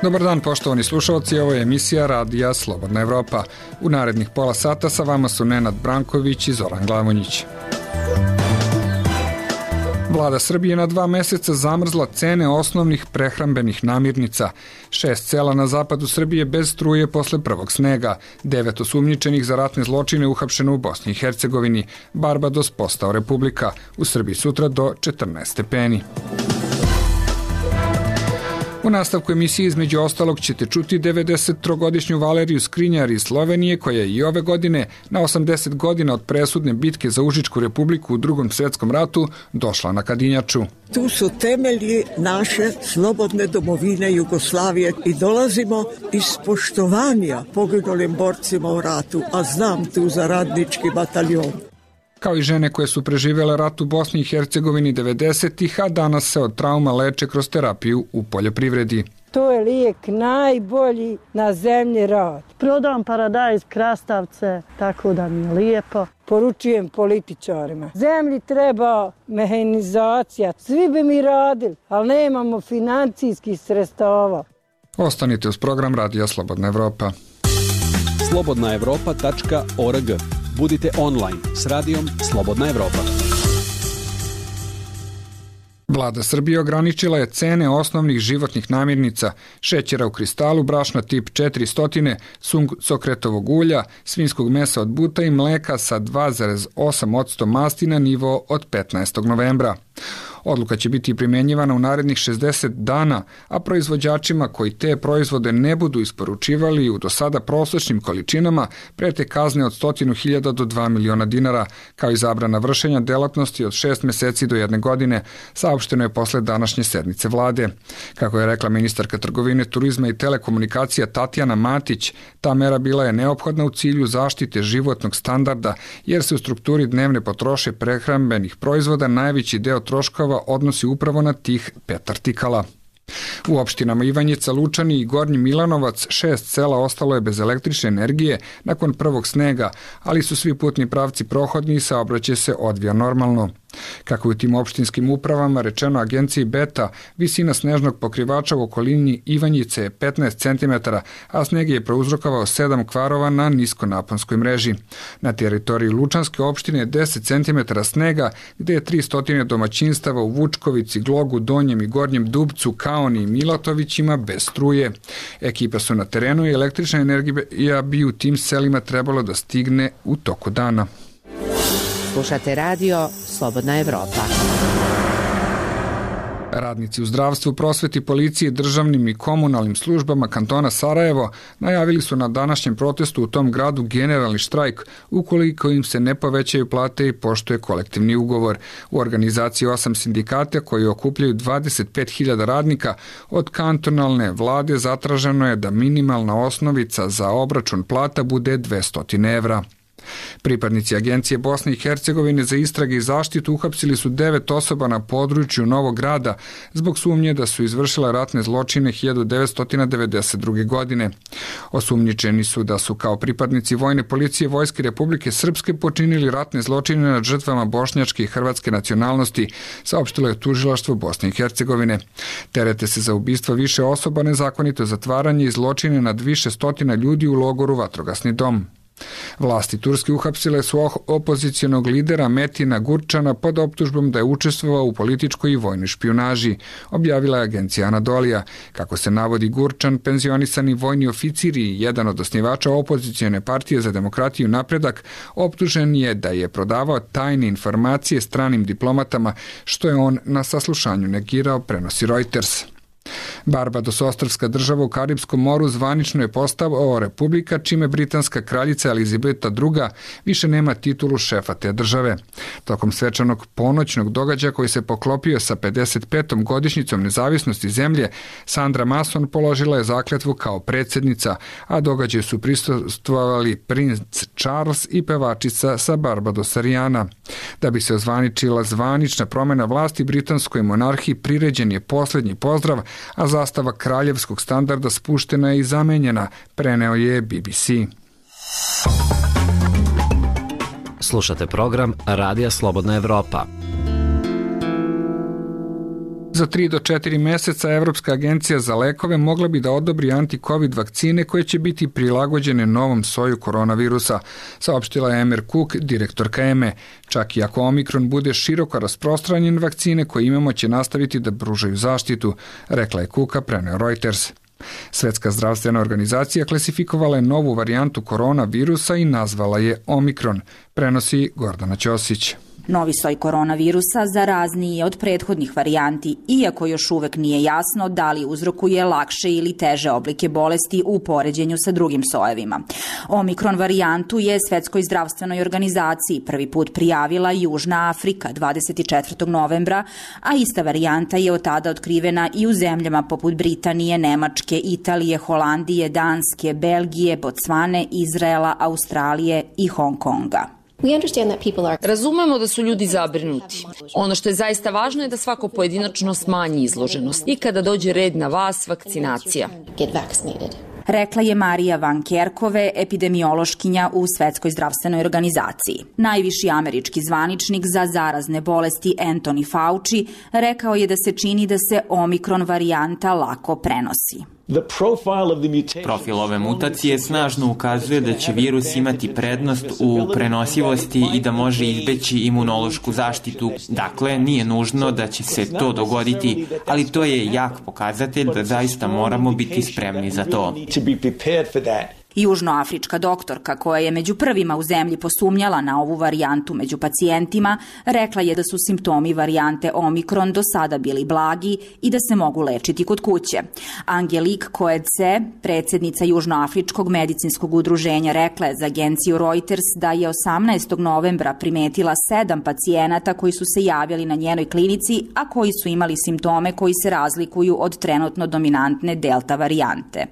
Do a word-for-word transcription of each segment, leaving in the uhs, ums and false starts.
Dobar dan poštovani slušalci, ovo je emisija Radija Slobodna Evropa. U narednih pola sata sa vama su Nenad Branković i Zoran Glavonjić. Vlada Srbije na dva meseca zamrzla cene osnovnih prehrambenih namirnica. Šest sela na zapadu Srbije bez struje posle prvog snega. Devet osumnjičenih za ratne zločine uhapšeno u Bosni i Hercegovini. Barbados postao republika. U Srbiji sutra do četrnaest stepeni. U nastavku emisije između ostalog ćete čuti devedesettrogodišnju Valeriju Skrinjar iz Slovenije, koja je i ove godine, na osamdeset godina od presudne bitke za Užičku republiku u Drugom svjetskom ratu, došla na Kadinjaču. Tu su temelji naše slobodne domovine Jugoslavije i dolazimo iz poštovanja poginulim borcima u ratu, a znam tu za radnički bataljon. Kao i žene koje su preživjele rat u Bosni i Hercegovini devedesetih, a danas se od trauma leče kroz terapiju u poljoprivredi. To je lijek najbolji na zemlji rad. Prodam paradajz, krastavce, tako da mi je lijepo. Poručujem političarima. Zemlji treba mehanizacija. Svi bi mi radili, ali nemamo financijskih sredstava. Ostanite uz program Radija Slobodna Evropa. slobodna evropa tačka org. Budite online s radijom Slobodna Evropa. Vlada Srbije ograničila je cene osnovnih životnih namirnica, šećera u kristalu, brašna tip četiristo, suncokretovog ulja, svinjskog mesa od buta i mleka sa dva zarez osam posto masti na nivo od petnaestog novembra. Odluka će biti primjenjivana u narednih šezdeset dana, a proizvođačima koji te proizvode ne budu isporučivali u do sada prosječnim količinama prete kazne od stotinu hiljada do dva miliona dinara, kao i zabrana vršenja delatnosti od šest meseci do jedne godine, saopšteno je posle današnje sednice vlade. Kako je rekla ministarka trgovine, turizma i telekomunikacija Tatjana Matić, ta mera bila je neophodna u cilju zaštite životnog standarda, jer se u strukturi dnevne potroše prehrambenih proizvoda najveći deo troškova odnosi upravo na tih pet artikala. U opštinama Ivanjica, Lučani i Gornji Milanovac šest sela ostalo je bez električne energije nakon prvog snega, ali su svi putni pravci prohodni i saobraćaj se odvija normalno. Kako je u tim opštinskim upravama rečeno agenciji Beta, visina snežnog pokrivača u okolini Ivanjice je petnaest centimetara, a sneg je prouzrokovao sedam kvarova na niskonaponskoj mreži. Na teritoriji Lučanske opštine je deset centimetara snega, gde je tristo domaćinstava u Vučkovici, Glogu, Donjem i Gornjem Dubcu, Kaoni i Milatovićima bez struje. Ekipa su na terenu i električna energija bi u tim selima trebalo da stigne u toku dana. Slušate radio Slobodna Evropa. Radnici u zdravstvu, prosveti, policiji, državnim i komunalnim službama kantona Sarajevo najavili su na današnjem protestu u tom gradu generalni štrajk ukoliko im se ne povećaju plate i poštuje kolektivni ugovor. U organizaciji osam sindikata koji okupljaju dvadeset pet hiljada radnika od kantonalne vlade zatraženo je da minimalna osnovica za obračun plata bude dvesta evra. Pripadnici Agencije Bosne i Hercegovine za istrage i zaštitu uhapsili su devet osoba na području Novog Grada zbog sumnje da su izvršile ratne zločine hiljadu devetsto devedeset druge. godine. Osumnjičeni su da su kao pripadnici vojne policije Vojske Republike Srpske počinili ratne zločine nad žrtvama bošnjačke i hrvatske nacionalnosti, saopštilo je tužilaštvo Bosne i Hercegovine. Terete se za ubistva više osoba, nezakonito zatvaranje i zločine nad više stotina ljudi u logoru Vatrogasni dom. Vlasti Turske uhapsile su opozicionog lidera Metina Gurčana pod optužbom da je učestvovao u političkoj i vojnoj špijunaži, objavila je agencija Anadolija. Kako se navodi, Gurčan, penzionisani vojni oficir i jedan od osnivača opozicione partije za demokratiju i napredak, optužen je da je prodavao tajne informacije stranim diplomatama, što je on na saslušanju negirao, prenosi Reuters. Barbados, ostrvska država u Karibskom moru, zvanično je postao republika, čime britanska kraljica Elizabeta druga više nema titulu šefa te države. Tokom svečanog ponoćnog događaja koji se poklopio sa pedeset petom godišnjicom nezavisnosti zemlje, Sandra Mason položila je zakletvu kao predsjednica, a događaju su prisustvovali princ Charles i pevačica sa Barbadosa Rihanna. Da bi se ozvaničila zvanična promjena vlasti, britanskoj monarhiji priređen je posljednji pozdrav, a zastava kraljevskog standarda spuštena je i zamenjena, preneo je B B C. Slušate program Radija Slobodna Evropa. Za tri do četiri meseca Evropska agencija za lekove mogla bi da odobri anti-covid vakcine koje će biti prilagođene novom soju koronavirusa, saopštila je Emer Cook, direktorka E M E. Čak i ako Omikron bude široko rasprostranjen, vakcine koje imamo će nastaviti da pružaju zaštitu, rekla je Cooka, preneo Reuters. Svetska zdravstvena organizacija klasifikovala je novu varijantu koronavirusa i nazvala je Omikron, prenosi Gordana Ćosić. Novi soj koronavirusa zarazniji je od prethodnih varijanti, iako još uvek nije jasno da li uzrokuje lakše ili teže oblike bolesti u poređenju sa drugim sojevima. Omikron varijantu je Svetskoj zdravstvenoj organizaciji prvi put prijavila Južna Afrika dvadeset četvrtog novembra, a ista varijanta je od tada otkrivena i u zemljama poput Britanije, Nemačke, Italije, Holandije, Danske, Belgije, Bocvane, Izraela, Australije i Hong Konga. Razumemo da su ljudi zabrinuti. Ono što je zaista važno je da svako pojedinačno smanji izloženost i kada dođe red na vas, vakcinacija. Rekla je Marija Van Kerkove, epidemiološkinja u Svetskoj zdravstvenoj organizaciji. Najviši američki zvaničnik za zarazne bolesti Anthony Fauci rekao je da se čini da se Omikron varijanta lako prenosi. Profil ove mutacije snažno ukazuje da će virus imati prednost u prenosivosti i da može izbeći imunološku zaštitu. Dakle, nije nužno da će se to dogoditi, ali to je jak pokazatelj da zaista moramo biti spremni za to. Južnoafrička doktorka, koja je među prvima u zemlji posumnjala na ovu varijantu među pacijentima, rekla je da su simptomi varijante Omikron do sada bili blagi i da se mogu lečiti kod kuće. Angelique Coetzee, predsjednica Južnoafričkog medicinskog udruženja, rekla je za agenciju Reuters da je osamnaestog novembra primetila sedam pacijenata koji su se javili na njenoj klinici, a koji su imali simptome koji se razlikuju od trenutno dominantne delta varijante.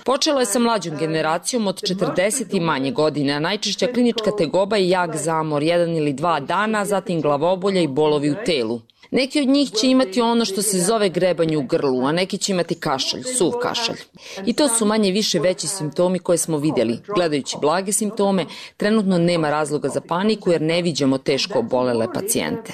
Počelo je sa mlađom generacijom od četrdeset i manje godine, a najčešća klinička tegoba je jak zamor, jedan ili dva dana, zatim glavobolja i bolovi u telu. Neki od njih će imati ono što se zove grebanje u grlu, a neki će imati kašalj, suv kašalj. I to su manje više veći simptomi koje smo vidjeli. Gledajući blage simptome, trenutno nema razloga za paniku jer ne viđamo teško obolele pacijente.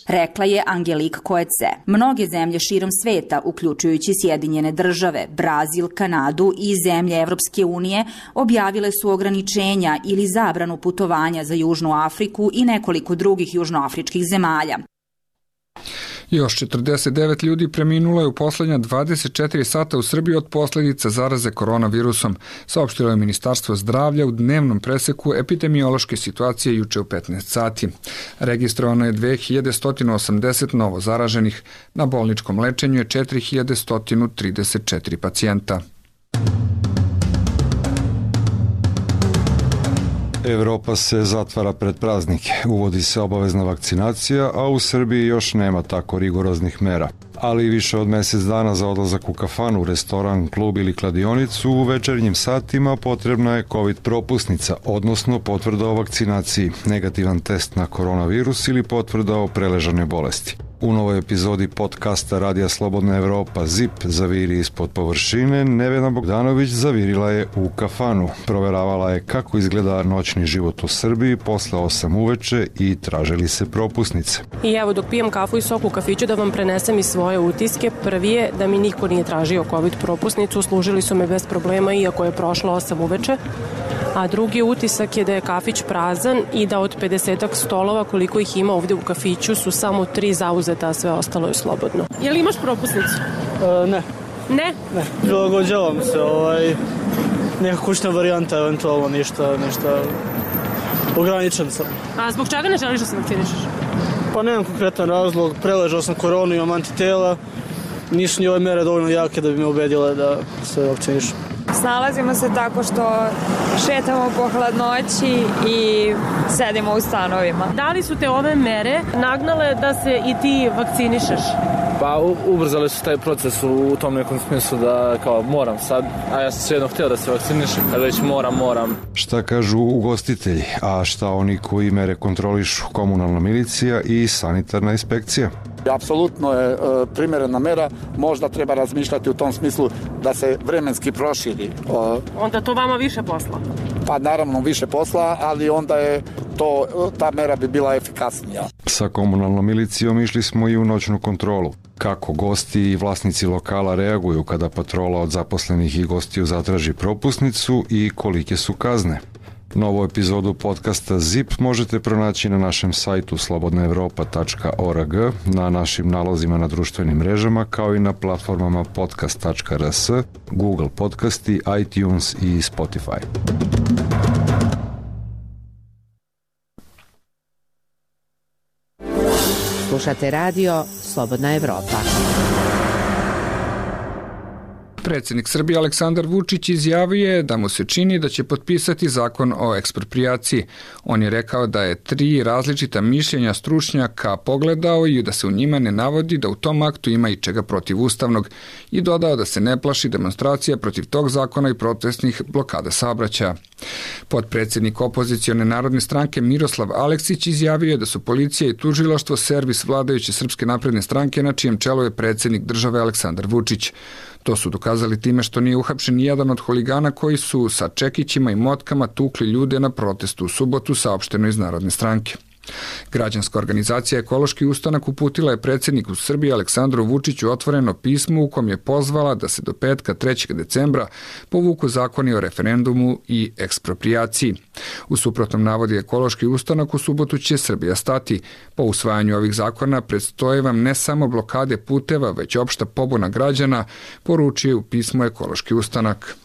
Rekla je Angelique Coetzee. Mnoge zemlje širom sveta, uključujući Sjedinjene države, Brazil, Kanadu i zemlje Evropske unije, objavile su ograničenja ili zabranu putovanja za Južnu Afriku i nekoliko drugih južnoafričkih zemalja. Još četrdeset devet ljudi preminulo je u poslednja dvadeset četiri sata u Srbiji od posljedica zaraze koronavirusom, saopštilo je Ministarstvo zdravlja u dnevnom preseku epidemiološke situacije juče u petnaest sati. Registrovano je dve hiljade sto osamdeset novo zaraženih, na bolničkom lečenju je četiri hiljade sto trideset četiri pacijenta. Evropa se zatvara pred praznike, uvodi se obavezna vakcinacija, a u Srbiji još nema tako rigoroznih mera. Ali više od mjesec dana za odlazak u kafanu, restoran, klub ili kladionicu u večernjim satima potrebna je COVID propusnica, odnosno potvrda o vakcinaciji, negativan test na koronavirus ili potvrda o preležanoj bolesti. U novoj epizodi podcasta Radija Slobodna Evropa ZIP zaviri ispod površine, Nevena Bogdanović zavirila je u kafanu. Proveravala je kako izgleda noćni život u Srbiji posle osam uveče i tražili se propusnice. I evo dok pijem kafu i sok u kafiću da vam prenesem i svoje utiske. Prvi je da mi niko nije tražio COVID propusnicu, služili su me bez problema iako je prošlo osam uveče. A drugi utisak je da je kafić prazan i da od pedesetak stolova koliko ih ima ovdje u kafiću su samo tri zauzeta, a sve ostalo je slobodno. Je li imaš propusnicu? E, ne. Ne? Ne, prilagođavam se, ovaj, neka kućna varijanta, eventualno ništa, ništa, ograničen sam. A zbog čega ne želiš da se vakcinišeš? Pa nemam konkretan razlog, preležao sam koronu, imam antitela, nisu ni ove mere dovoljno jake da bi me ubedile da se vakcinišem. Snalazimo se tako što šetamo po hladnoći i sedimo u stanovima. Da li su te ove mere nagnale da se i ti vakcinišeš? Pa ubrzali su taj proces u tom nekom smislu da kao moram sad, a ja sam svejedno htio da se vakcinišem, kad već moram, moram. Šta kažu ugostitelji, a šta oni koji mere kontrolišu, komunalna milicija i sanitarna inspekcija? Apsolutno je e, primjerena mera, možda treba razmišljati u tom smislu da se vremenski proširi. O, onda to vama više posla? Pa naravno više posla, ali onda je to, ta mera bi bila efikasnija. Sa komunalnom milicijom išli smo i u noćnu kontrolu. Kako gosti i vlasnici lokala reaguju kada patrola od zaposlenih i gostiju zatraži propusnicu i kolike su kazne. Novu epizodu podcasta Zip možete pronaći na našem sajtu slobodna evropa tačka org, na našim nalozima na društvenim mrežama, kao i na platformama podcast tačka r s, Google Podcasti, iTunes i Spotify. Slušate radio Slobodna Evropa. Predsjednik Srbije Aleksandar Vučić izjavio je da mu se čini da će potpisati zakon o eksproprijaciji. On je rekao da je tri različita mišljenja stručnjaka pogledao i da se u njima ne navodi da u tom aktu ima i čega protivustavnog i dodao da se ne plaši demonstracija protiv tog zakona i protestnih blokada saobraćaja. Potpredsjednik opozicione narodne stranke Miroslav Aleksić izjavio je da su policija i tužilaštvo servis vladajuće Srpske napredne stranke na čijem čelu je predsjednik države Aleksandar Vučić. To su dokazali time što nije uhapšen nijedan od huligana koji su sa čekićima i motkama tukli ljude na protestu u subotu, saopšteno iz Narodne stranke. Građanska organizacija Ekološki ustanak uputila je predsjedniku Srbije Aleksandru Vučiću otvoreno pismo u kom je pozvala da se do petka trećeg decembra povuku zakoni o referendumu i eksproprijaciji. U suprotnom, navodi Ekološki ustanak, u subotu će Srbija stati. Po usvajanju ovih zakona predstoje vam ne samo blokade puteva, već opšta pobuna građana, poručuje u pismu Ekološki ustanak.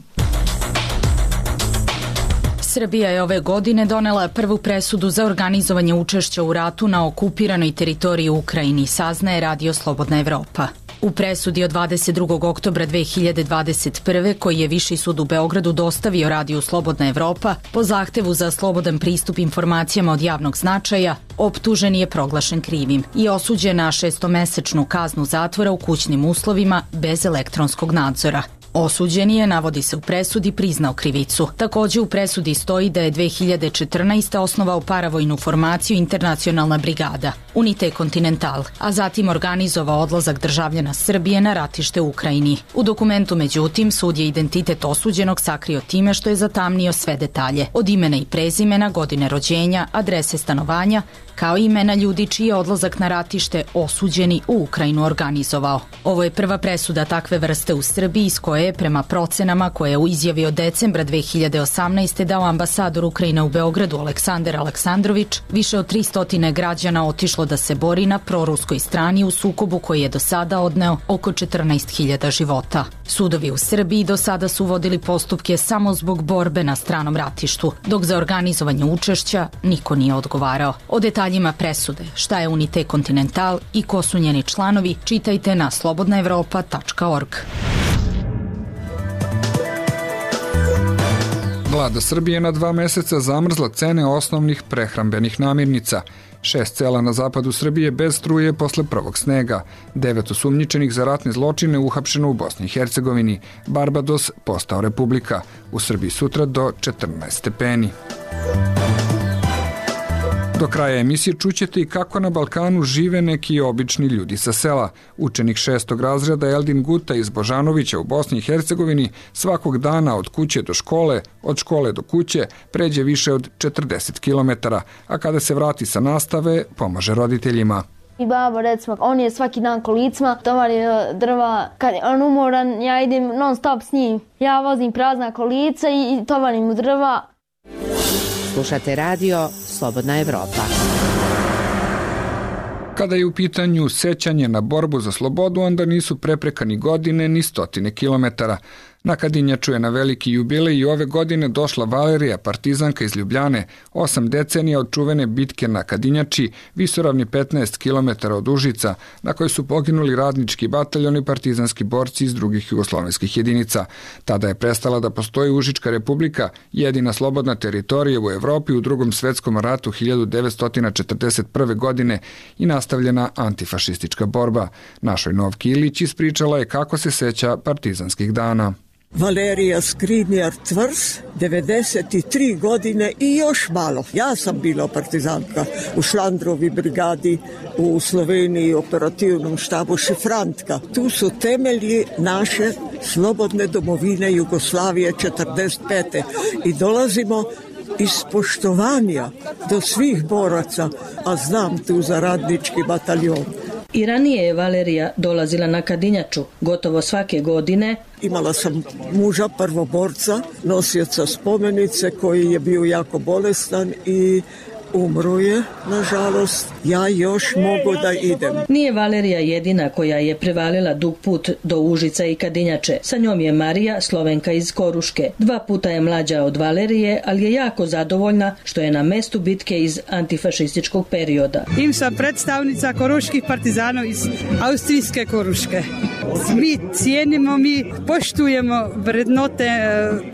Srbija je ove godine donela prvu presudu za organizovanje učešća u ratu na okupiranoj teritoriji u Ukrajini, saznaje Radio Slobodna Evropa. U presudi od dvadeset drugog oktobra dve hiljade dvadeset prve koji je Viši sud u Beogradu dostavio Radiju Slobodna Evropa po zahtevu za slobodan pristup informacijama od javnog značaja, optužen je proglašen krivim i osuđen na šestomesečnu kaznu zatvora u kućnim uslovima bez elektronskog nadzora. Osuđen je, navodi se u presudi, priznao krivicu. Takođe u presudi stoji da je dve hiljade četrnaeste. osnovao paravojnu formaciju Internacionalna brigada, Unite Continental, a zatim organizovao odlazak državljana Srbije na ratište u Ukrajini. U dokumentu, međutim, sud je identitet osuđenog sakrio time što je zatamnio sve detalje, od imena i prezimena, godine rođenja, adrese stanovanja, kao i imena ljudi čiji je odlazak na ratište osuđeni u Ukrajinu organizovao. Ovo je prva presuda takve vrste u Srbiji, iz koje je, prema procenama koje je u izjavi od decembra dve hiljade osamnaeste. dao ambasador Ukrajine u Beogradu Aleksandar Aleksandrović, više od tristo građana otišlo da se bori na proruskoj strani u sukobu koji je do sada odneo oko četrnaest hiljada života. Sudovi u Srbiji do sada su vodili postupke samo zbog borbe na stranom ratištu, dok za organizovanje učešća niko nije odgovarao. O detaljima presude, šta je Unite Continental i ko su njeni članovi, čitajte na slobodna evropa tačka org. Vlada Srbije na dva meseca zamrzla cene osnovnih prehrambenih namirnica. Šest sela na zapadu Srbije bez struje posle prvog snega. Devet osumnjičenih za ratne zločine uhapšeno u Bosni i Hercegovini. Barbados postao republika. U Srbiji sutra do četrnaest stepeni. Do kraja emisije čućete i kako na Balkanu žive neki obični ljudi sa sela. Učenik šestog razreda Eldin Guta iz Božanovića u Bosni i Hercegovini svakog dana od kuće do škole, od škole do kuće, pređe više od četrdeset kilometara, a kada se vrati sa nastave, pomaže roditeljima. I baba, recimo, on je svaki dan kolicima, tovari drva, kad je on umoran, ja idem non stop s njim. Ja vozim prazna kolica i tovarim mu drva. Slušate radio Slobodna Evropa. Kada je u pitanju sećanje na borbu za slobodu, onda nisu prepreka ni godine, ni stotine kilometara. Na Kadinjaču je na veliki jubilej i ove godine došla Valerija, partizanka iz Ljubljane, osam decenija od čuvene bitke na Kadinjači, visoravni petnaest kilometara od Užica, na kojoj su poginuli radnički bataljon i partizanski borci iz drugih jugoslovenskih jedinica. Tada je prestala da postoji Užička republika, jedina slobodna teritorija u Evropi u drugom svetskom ratu hiljadu devetsto četrdeset prve. godine i nastavljena antifašistička borba. Našoj Novki Ilić ispričala je kako se seća partizanskih dana. Valerija Skriniar Tvrs, devedeset tri godine i još malo. Ja sam bila partizanka u Šlandrovi brigadi u Sloveniji, operativnom štabu Šifrantka. Tu su temelji naše slobodne domovine Jugoslavije četrdeset pete. I dolazimo ispoštovanja do svih boraca, a znam tu za radnički bataljon. I ranije je Valerija dolazila na Kadinjaču gotovo svake godine. Imala sam muža prvoborca, nosioca spomenice koji je bio jako bolestan i umro je, nažalost. Ja još mogu da idem. Nije Valerija jedina koja je prevalila dug put do Užica i Kadinjače. Sa njom je Marija, Slovenka iz Koruške. Dva puta je mlađa od Valerije, ali je jako zadovoljna što je na mestu bitke iz antifašističkog perioda. Im sam predstavnica koruških partizana iz austrijske Koruške. Mi cijenimo, mi poštujemo vrednote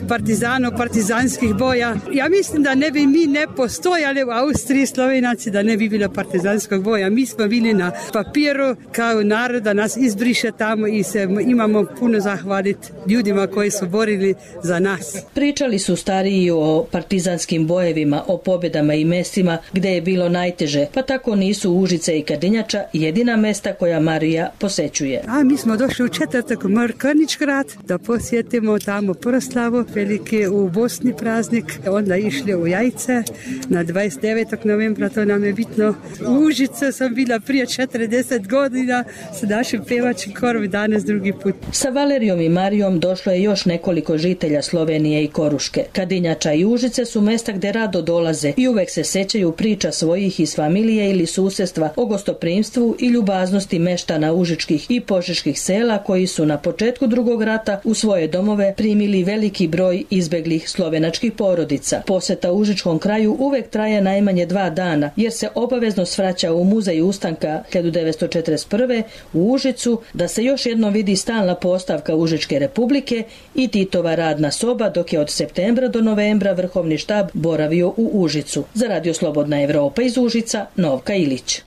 partizana, partizanskih boja. Ja mislim da ne bi mi ne postojali u Austriji, Slovenaci, da ne bi bilo partizanskog boja. Mi smo bili na papiru kao narod, da nas izbriše tamo i se imamo puno zahvaliti ljudima koji su borili za nas. Pričali su stariji o partizanskim bojevima, o pobjedama i mestima gdje je bilo najteže, pa tako nisu Užice i Kadinjača jedina mesta koja Marija posećuje. A mi smo došli u četvrtak u Mrkaničgrad da posjetimo tamo proslavu velike u Bosni praznik, onda išli u Jajce na dvadeset devetog novembra, to nam je bitno. U Užice sam bila prije četrdeset godina sa našim pevačkim korom, danas drugi put. Sa Valerijom i Marijom došlo je još nekoliko žitelja Slovenije i Koruške. Kadinjača i Užice su mesta gdje rado dolaze i uvek se sećaju priča svojih iz familije ili susjedstva o gostoprimstvu i ljubaznosti meštana užičkih i požeških sela koji su na početku drugog rata u svoje domove primili veliki broj izbeglih slovenačkih porodica. Poseta užičkom kraju uvek traje najmanje dva dana, jer se obavezno svraća u muzej ustanka hiljadu devetsto četrdeset prve u Užicu da se još jednom vidi stalna postavka Užičke republike i Titova radna soba, dok je od septembra do novembra vrhovni štab boravio u Užicu. Za Radio Slobodna Evropa iz Užica, Novka Ilić.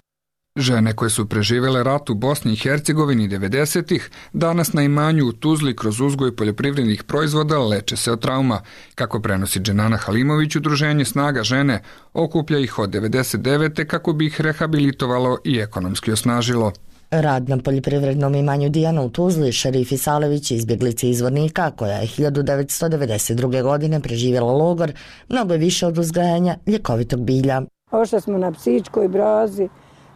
Žene koje su preživele rat u Bosni i Hercegovini devedesetih danas na imanju u Tuzli kroz uzgoj poljoprivrednih proizvoda leče se od trauma. Kako prenosi Dženana Halimović, udruženje Snaga žene okuplja ih od devedeset devete kako bi ih rehabilitovalo i ekonomski osnažilo. Rad na poljoprivrednom imanju Dijana u Tuzli, Šerif Isalević, izbjeglica izvornika koja je hiljadu devetsto devedeset druge. godine preživjela logor, mnogo je više od uzgajanja ljekovitog bilja. Ošli smo na psičkoj brazi,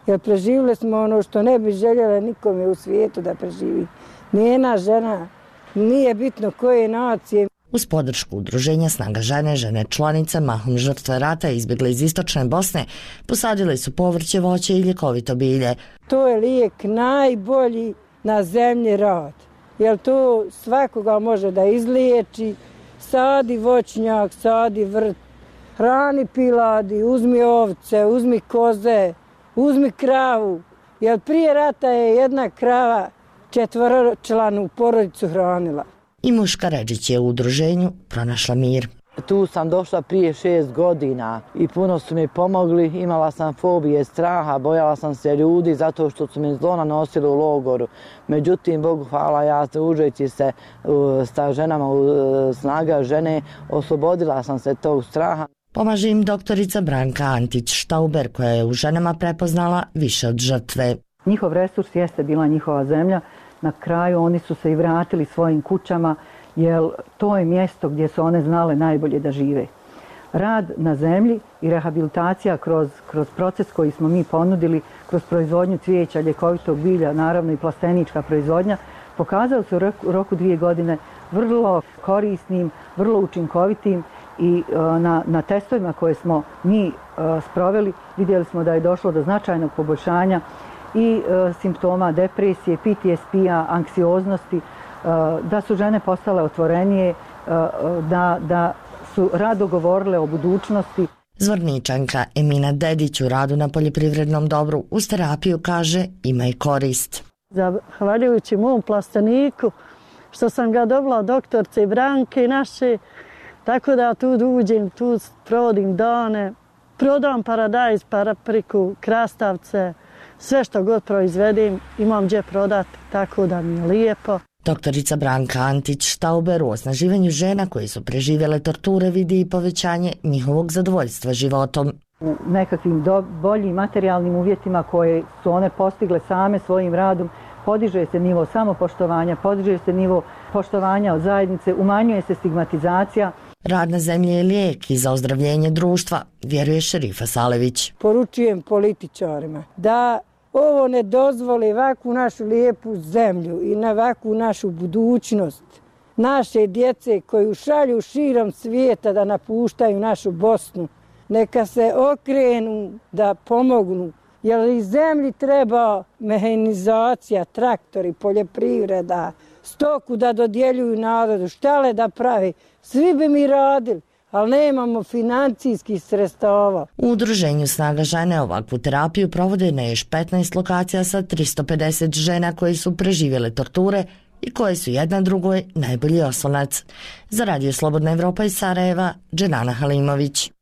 jer preživjeli smo ono što ne bi željela nikome u svijetu da preživi. Nijena žena, nije bitno koje nacije. Uz podršku udruženja Snaga žene, žene članice, mahom žrtve rata izbjegle iz istočne Bosne, posadili su povrće, voće i ljekovito bilje. To je lijek najbolji na zemlji rad, jer to svakoga može da izliječi. Sadi voćnjak, sadi vrt, hrani piladi, uzmi ovce, uzmi koze, uzmi kravu, jer prije rata je jedna krava četvoročlanu porodicu hranila. I Muška Ređić je u udruženju pronašla mir. Tu sam došla prije šest godina i puno su mi pomogli. Imala sam fobije, straha, bojala sam se ljudi zato što su mi zlo nanosili u logoru. Međutim, Bogu hvala, ja družeći se sa ženama u Snaga žene, oslobodila sam se tog straha. Pomaže im doktorica Branka Antić-Štauber koja je u ženama prepoznala više od žrtve. Njihov resurs jeste bila njihova zemlja. Na kraju oni su se i vratili svojim kućama, jer to je mjesto gdje su one znale najbolje da žive. Rad na zemlji i rehabilitacija kroz, kroz proces koji smo mi ponudili, kroz proizvodnju cvijeća, ljekovitog bilja, naravno i plastenička proizvodnja, pokazali su u roku dvije godine vrlo korisnim, vrlo učinkovitim i na, na testovima koje smo mi sproveli vidjeli smo da je došlo do značajnog poboljšanja i e, simptoma depresije, P T S P-a, anksioznosti, e, da su žene postale otvorenije, e, da, da su rado govorile o budućnosti. Zvorničanka Emina Dedić u radu na poljoprivrednom dobru uz terapiju kaže ima i korist. Zahvaljujući mom plasteniku što sam ga dobila od doktorce Branke naše, tako da tu uđem, tu provodim dane, prodam paradajz, papriku, krastavce, sve što god proizvedim imam gdje prodati, tako da mi je lijepo. Doktorica Branka Antić-Štauber u osnaživanju žena koji su preživjele torture vidi i povećanje njihovog zadovoljstva životom. U nekakvim do, boljim materijalnim uvjetima koje su one postigle same svojim radom, podiže se nivo samopoštovanja, podiže se nivo poštovanja od zajednice, umanjuje se stigmatizacija. Rad na zemlji je lijek i za ozdravljenje društva, vjeruje Šerifa Salević. Poručujem političarima da ovo ne dozvoli ovakvu našu lijepu zemlju i na ovakvu našu budućnost. Naše djece koju šalju širom svijeta da napuštaju našu Bosnu, neka se okrenu da pomognu, jer i zemlji treba mehanizacija, traktori, poljoprivreda, stoku da dodjeljuju narodu, štale da pravi. Svi bi mi radili, ali nemamo financijskih sredstava. U udruženju Snaga žene ovakvu terapiju provode na još petnaest lokacija sa tristo pedeset žena koje su preživjele torture i koje su jedna drugoj najbolji oslonac. Za Radio Slobodna Evropa iz Sarajeva, Dženana Halimović.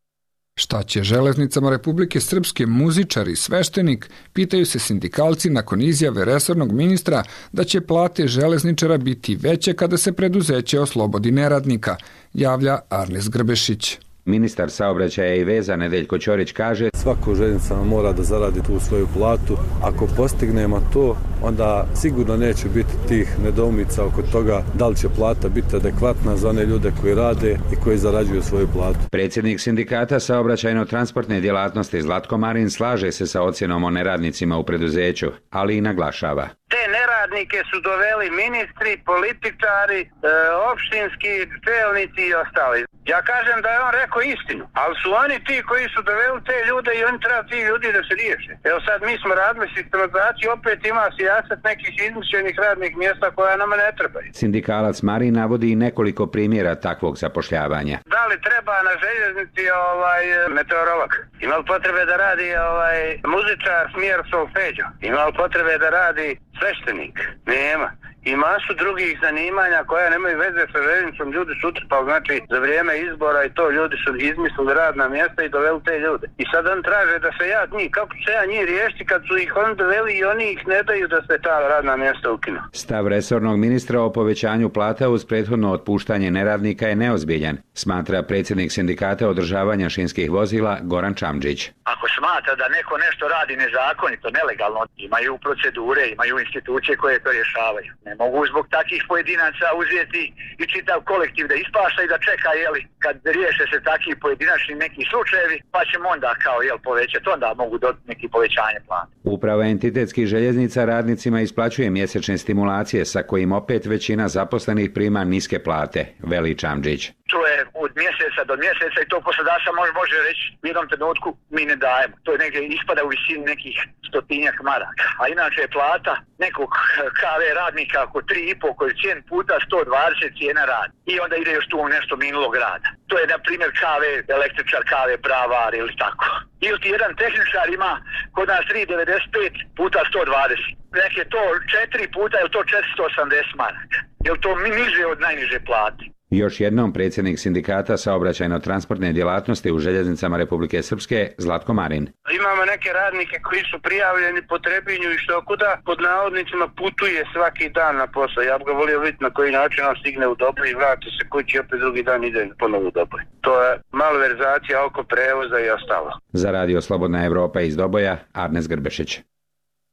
Šta će železnicama Republike Srpske muzičar i sveštenik, pitaju se sindikalci nakon izjave resornog ministra da će plate železničara biti veće kada se preduzeće oslobodi neradnika, javlja Arnes Grbešić. Ministar saobraćaja i veza Nedeljko Ćorić kaže: svako željeznica mora da zaradi tu svoju platu. Ako postignemo to, onda sigurno neće biti tih nedoumica oko toga da li će plata biti adekvatna za one ljude koji rade i koji zarađuju svoju platu. Predsjednik sindikata saobraćajno-transportne djelatnosti Zlatko Marin slaže se sa ocjenom o neradnicima u preduzeću, ali i naglašava: te neradnike su doveli ministri, političari, e, opštinski čelnici i ostali. Ja kažem da je on rekao istinu, ali su oni ti koji su doveli te ljude i oni treba ti ljudi da se riješe. Evo sad mi smo radili sistematizaciju, opet ima sijaset nekih izmišljenih radnih mjesta koja nama ne trebaju. Sindikalac Marin navodi i nekoliko primjera takvog zapošljavanja. Da li treba na željeznici ovaj meteorolog? Ima li potrebe da radi ovaj muzičar smjer solfeđo? Ima li potrebe da radi sveštenik? Nema. I masu drugih zanimanja koja nemaju veze sa željeznicom, ljudi su utrpali, znači za vrijeme izbora i to ljudi su izmislili radna mjesta i doveli te ljude. I sad on traže da se ja njih, kako će ja njih riješiti kad su ih on doveli i oni ih ne daju da se ta radna mjesta ukinu. Stav resornog ministra o povećanju plata uz prethodno otpuštanje neradnika je neozbiljan, smatra predsjednik sindikata održavanja šinskih vozila Goran Čamdžić. Ako smatra da neko nešto radi nezakonito, nelegalno, imaju procedure, imaju institucije koje to rješavaju. Ne mogu zbog takih pojedinaca uzeti i čitav kolektiv da ispašta i da čeka, jeli, kad riješe se takvi pojedinačni neki slučajevi, pa ćemo onda kao, jel, povećati, onda mogu dobiti neki povećanje plata. Uprava entitetskih željeznica radnicima isplaćuje mjesečne stimulacije sa kojim opet većina zaposlenih prima niske plate, veli Čamdžić. To je od mjeseca do mjeseca i to poslodavca može, može reći u jednom trenutku mi ne dajemo. To je negdje ispada u visini nekih stotinjak maraka. A inače je plata nekog ka ve radnika oko tri i pol koeficijent puta sto dvadeset cijena rada. I onda ide još tu nešto minulog rada. To je na primjer ka ve električar, ka ve bravar ili tako. Ili ti jedan tehničar ima kod nas tri devedeset pet puta sto dvadeset. Nek je to četiri puta, je to četiristo osamdeset maraka. Je to niže od najniže plate. Još jednom predsjednik sindikata saobraćajno-transportne djelatnosti u željeznicama Republike Srpske Zlatko Marin. Imamo neke radnike koji su prijavljeni po Trebinju i što kuda pod navodnicima putuje svaki dan na posao. Ja bih ga volio vidjeti na koji način on stigne u Doboj i vrati se kući i opet drugi dan ide ponovo u Doboj. To je malverzacija oko prevoza i ostalo. Za Radio Slobodna Evropa iz Doboja, Arnes Grbešić.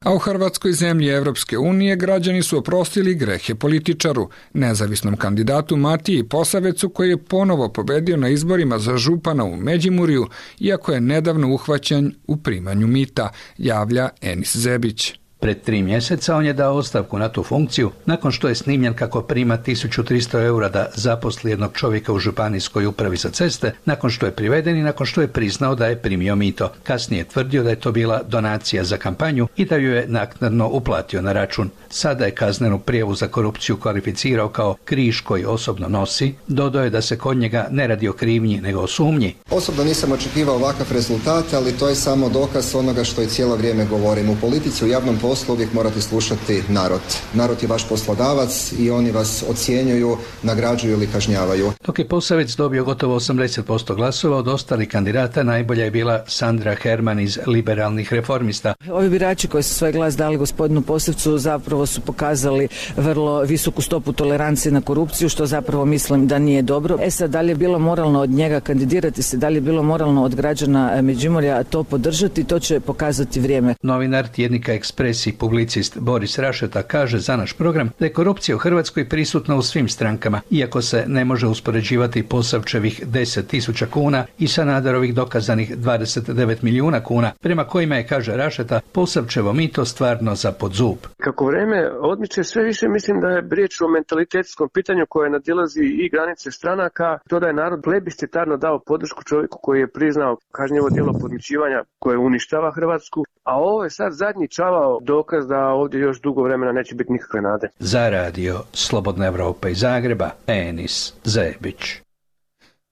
A u Hrvatskoj, zemlji Evropske unije, građani su oprostili grehe političaru, nezavisnom kandidatu Matiji Posavecu, koji je ponovo pobedio na izborima za župana u Međimurju, iako je nedavno uhvaćen u primanju mita, javlja Enis Zebić. Pred tri mjeseca on je dao ostavku na tu funkciju nakon što je snimljen kako prima tisuću tristo eura da zaposli jednog čovjeka u županijskoj upravi za ceste, nakon što je priveden i nakon što je priznao da je primio mito. Kasnije je tvrdio da je to bila donacija za kampanju i da ju je naknadno uplatio na račun. Sada je kaznenu prijavu za korupciju kvalificirao kao križ koji osobno nosi. Dodao je da se kod njega ne radi o krivnji nego o sumnji. Osobno nisam očekivao ovakav rezultat, ali to je samo dokaz onoga što i cijelo vrijeme govorim. U politici, u javnom poslu uvijek morate slušati narod. Narod je vaš poslodavac i oni vas ocjenjuju, nagrađuju ili kažnjavaju. Dok je Posavec dobio gotovo osamdeset posto glasova, od ostalih kandidata najbolja je bila Sandra Herman iz Liberalnih reformista. Ovi birači koji su svoj glas dali gospodinu Posavcu zapravo su pokazali vrlo visoku stopu tolerancije na korupciju, što zapravo mislim da nije dobro. E sad, da li je bilo moralno od njega kandidirati se, da li je bilo moralno od građana Međimurja to podržati, to će pokazati vrijeme. Novinar tjednika Ekspres pisac i publicist Boris Rašeta kaže za naš program da je korupcija u Hrvatskoj prisutna u svim strankama, iako se ne može uspoređivati Posavčevih deset tisuća kuna i Sanaderovih dokazanih dvadeset devet milijuna kuna, prema kojima je, kaže Rašeta, Posavčevo mito stvarno za pod zub. Kako vreme odmiče, sve više mislim da je riječ o mentalitetskom pitanju koje nadilazi i granice stranaka. To da je narod plebiscitarno dao podršku čovjeku koji je priznao kažnjivo djelo podmićivanja koje uništava Hrvatsku, a ovo je sad zadnji čavao dokaz da ovdje još dugo vremena neće biti nikakve nade. Za radio Slobodna Evropa iz Zagreba, Enis Zebić.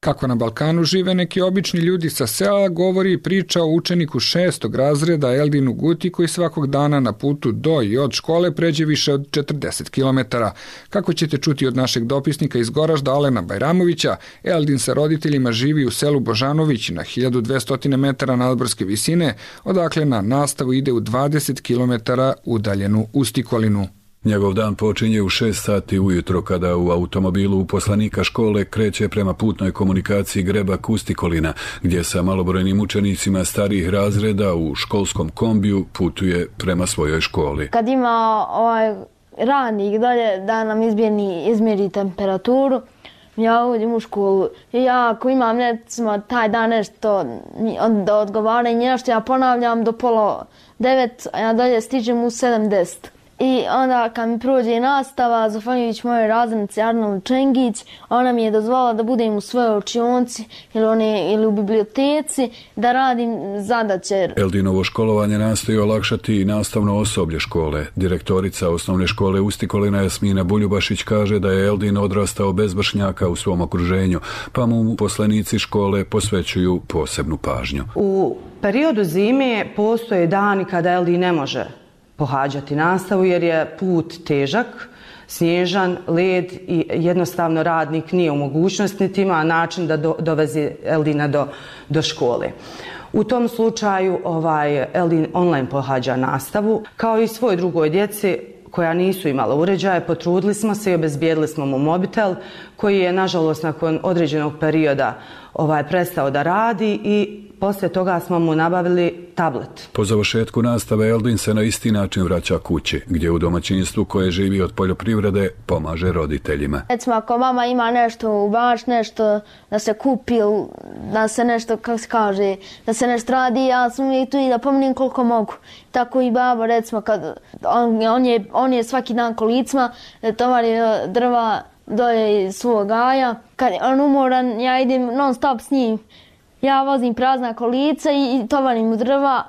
Kako na Balkanu žive neki obični ljudi sa sela, govori i priča o učeniku šestog razreda Eldinu Guti koji svakog dana na putu do i od škole pređe više od četrdeset kilometara. Kako ćete čuti od našeg dopisnika iz Goražda Alena Bajramovića, Eldin sa roditeljima živi u selu Božanović na hiljadu dvesta metara nadmorske visine, odakle na nastavu ide u dvadeset kilometara udaljenu Ustikolinu. Njegov dan počinje u šest sati ujutro kada u automobilu uposlenika škole kreće prema putnoj komunikaciji Grebak Ustikolina, gdje sa malobrojnim učenicima starijih razreda u školskom kombiju putuje prema svojoj školi. Kad ima ovaj radnik dolje da nam izmjeri, izmjeri temperaturu, ja uđem u školu i ja ako imam recimo taj dan nešto da odgovaranje nešto, ja ponavljam do pola devet, a ja dalje stižem u sedamdeset. I onda kad mi prođe nastava, zahvaljujući mojoj razrednici Arnold Čengić, ona mi je dozvolila da budem u svojoj učionci ili, one, ili u biblioteci, da radim zadaće. Eldinovo školovanje nastoji olakšati i nastavno osoblje škole. Direktorica osnovne škole Ustikolina Jasmina Buljubašić kaže da je Eldin odrastao bez vršnjaka u svom okruženju, pa mu uposlenici škole posvećuju posebnu pažnju. U periodu zime postoje dani kada Eldin ne može pohađati nastavu jer je put težak, snježan, led i jednostavno radnik nije u mogućnosti niti ima način da do, dovezi Eldina do, do škole. U tom slučaju ovaj, Eldin online pohađa nastavu, kao i svoj drugoj djeci koja nisu imala uređaje. Potrudili smo se i obezbijedili smo mu mobitel koji je nažalost nakon određenog perioda ovaj, prestao da radi i poslije toga smo mu nabavili tablet. Po završetku nastave Eldin se na isti način vraća kući, gdje u domaćinstvu koje živi od poljoprivrede pomaže roditeljima. Recimo ako mama ima nešto u baš, nešto da se kupi, da se nešto, kako se kaže, da se nešto radi, ja sam uvijek tu i da pomonim koliko mogu. Tako i baba, recimo, kad on, on, je, on je svaki dan kolicima, tovari drva dolje iz svog gaja. Kad on umoran, ja idem non stop s njim. Ja vozim prazna kolica i tovarim mu drva,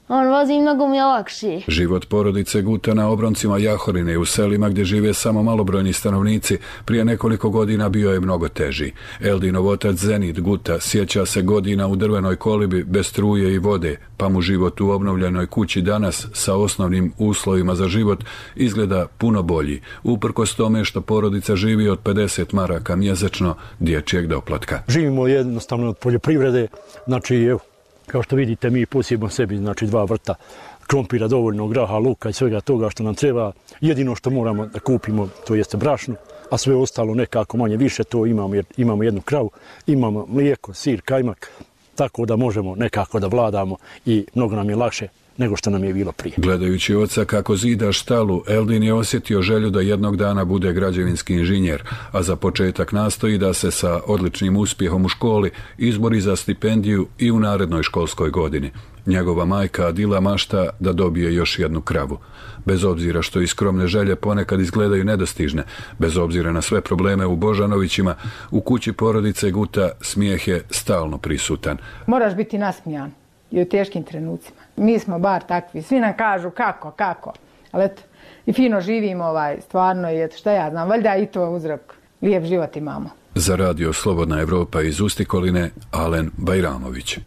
on vozi mnogo mi je lakše. Život porodice Guta na obroncima Jahorine u selima gdje žive samo malobrojni stanovnici prije nekoliko godina bio je mnogo teži. Eldinov otac Zenit Guta sjeća se godina u drvenoj kolibi bez struje i vode, pa mu život u obnovljenoj kući danas sa osnovnim uslovima za život izgleda puno bolji, uprkos tome što porodica živi od pedeset maraka mjesečno dječjeg doplatka. Živimo jednostavno od poljoprivrede, znači evo, kao što vidite, mi posijemo sebi znači dva vrta krompira, dovoljno graha, luka i svega toga što nam treba. Jedino što moramo da kupimo, to jeste brašno, a sve ostalo nekako manje više to imamo jer imamo jednu kravu, imamo mlijeko, sir, kajmak, tako da možemo nekako da vladamo i mnogo nam je lakše nego što nam je bilo prije. Gledajući oca kako zida štalu, Eldin je osjetio želju da jednog dana bude građevinski inženjer, a za početak nastoji da se sa odličnim uspjehom u školi izbori za stipendiju i u narednoj školskoj godini. Njegova majka Adila mašta da dobije još jednu kravu. Bez obzira što i skromne želje ponekad izgledaju nedostižne, bez obzira na sve probleme u Božanovićima, u kući porodice Guta smijeh je stalno prisutan. Moraš biti nasmijan i u teškim trenucima. Mi smo bar takvi. Svi nam kažu kako, kako. Ali eto, i fino živimo ovaj, stvarno i eto, šta ja znam, valjda i to uzrok. Lijep život imamo. Za radio Slobodna Evropa iz Ustikoline, Alen Bajramović.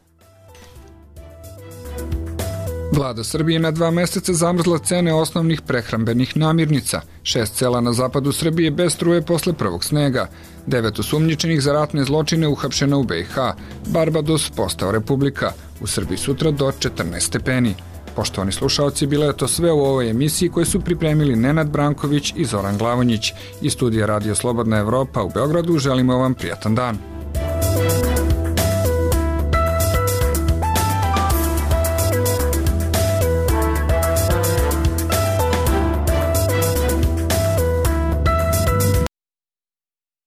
Vlada Srbije na dva mjeseca zamrzla cene osnovnih prehrambenih namirnica. Šest sela na zapadu Srbije bez struje posle prvog snega. Devet osumnjičenih za ratne zločine uhapšeno u B i H. Barbados postao republika. U Srbiji sutra do četrnaest stepeni. Poštovani slušaoci, bilo je to sve u ovoj emisiji koju su pripremili Nenad Branković i Zoran Glavonjić. Iz studija Radio Slobodna Evropa u Beogradu želimo vam prijatan dan.